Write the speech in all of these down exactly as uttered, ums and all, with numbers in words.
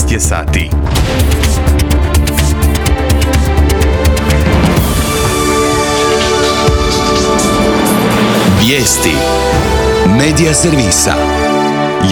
šest je sati. Vijesti Medija servisa.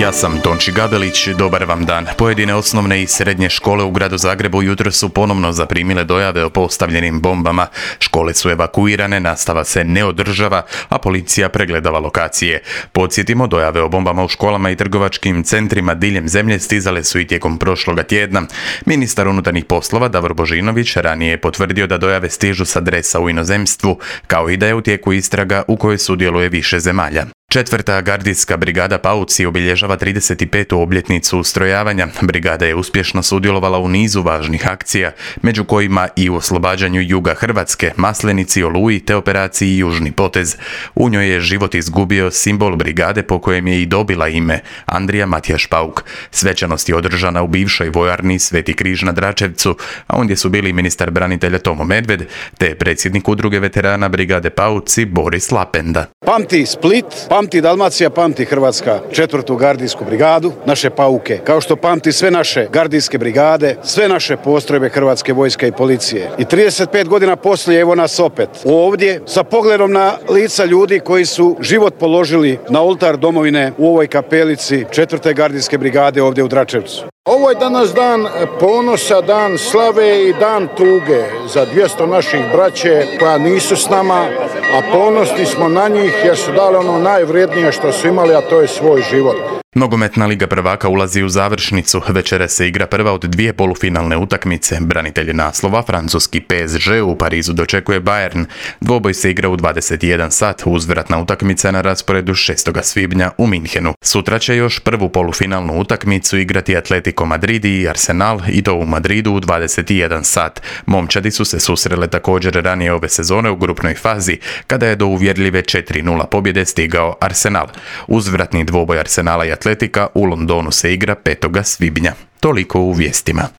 Ja sam Tonči Gabelić, dobar vam dan. Pojedine osnovne i srednje škole u gradu Zagrebu jutro su ponovno zaprimile dojave o postavljenim bombama. Škole su evakuirane, nastava se ne održava, a policija pregledava lokacije. Podsjetimo, dojave o bombama u školama i trgovačkim centrima diljem zemlje stizale su i tijekom prošloga tjedna. Ministar unutarnjih poslova Davor Božinović ranije je potvrdio da dojave stižu s adresa u inozemstvu, kao i da je u tijeku istraga u kojoj sudjeluje više zemalja. Četvrta gardijska brigada Pauci obilježava trideset petu obljetnicu ustrojavanja. Brigada je uspješno sudjelovala u nizu važnih akcija, među kojima i u oslobađanju juga Hrvatske, Maslenici, Oluji te operaciji Južni potez. U njoj je život izgubio simbol brigade po kojem je i dobila ime, Andrija Matijaš Pauk. Svečanost je održana u bivšoj vojarni Sveti križ na Dračevcu, a ondje su bili ministar branitelja Tomo Medved te predsjednik udruge veterana brigade Pauci Boris Lapenda. Pamti Split, pamti Dalmacija, pamti Hrvatska četvrtu gardijsku brigadu, naše Pauke, kao što pamti sve naše gardijske brigade, sve naše postrojbe Hrvatske vojske i policije. I trideset pet godina poslije evo nas opet ovdje sa pogledom na lica ljudi koji su život položili na oltar domovine u ovoj kapelici četvrte gardijske brigade ovdje u Dračevcu. Ovo je danas dan ponosa, dan slave i dan tuge za dvjesto naših braće koja nisu s nama, a ponosni smo na njih jer su dali ono najvrijednije što su imali, a to je svoj život. Nogometna liga prvaka ulazi u završnicu. Večera se igra prva od dvije polufinalne utakmice. Branitelji naslova, francuski P S G u Parizu dočekuje Bayern. Dvoboj se igra u dvadeset jedan sat, uzvratna utakmica na rasporedu šestog svibnja u Minhenu. Sutra će još prvu polufinalnu utakmicu igrati Atletico Madrid i Arsenal, i to u Madridu u dvadeset jedan sat. Momčadi su se susrele također ranije ove sezone u grupnoj fazi, kada je do uvjerljive četiri nula pobjede stigao Arsenal. Uzvratni dvoboj Arsenala i Atletika u Londonu se igra petog svibnja. Toliko u vijestima.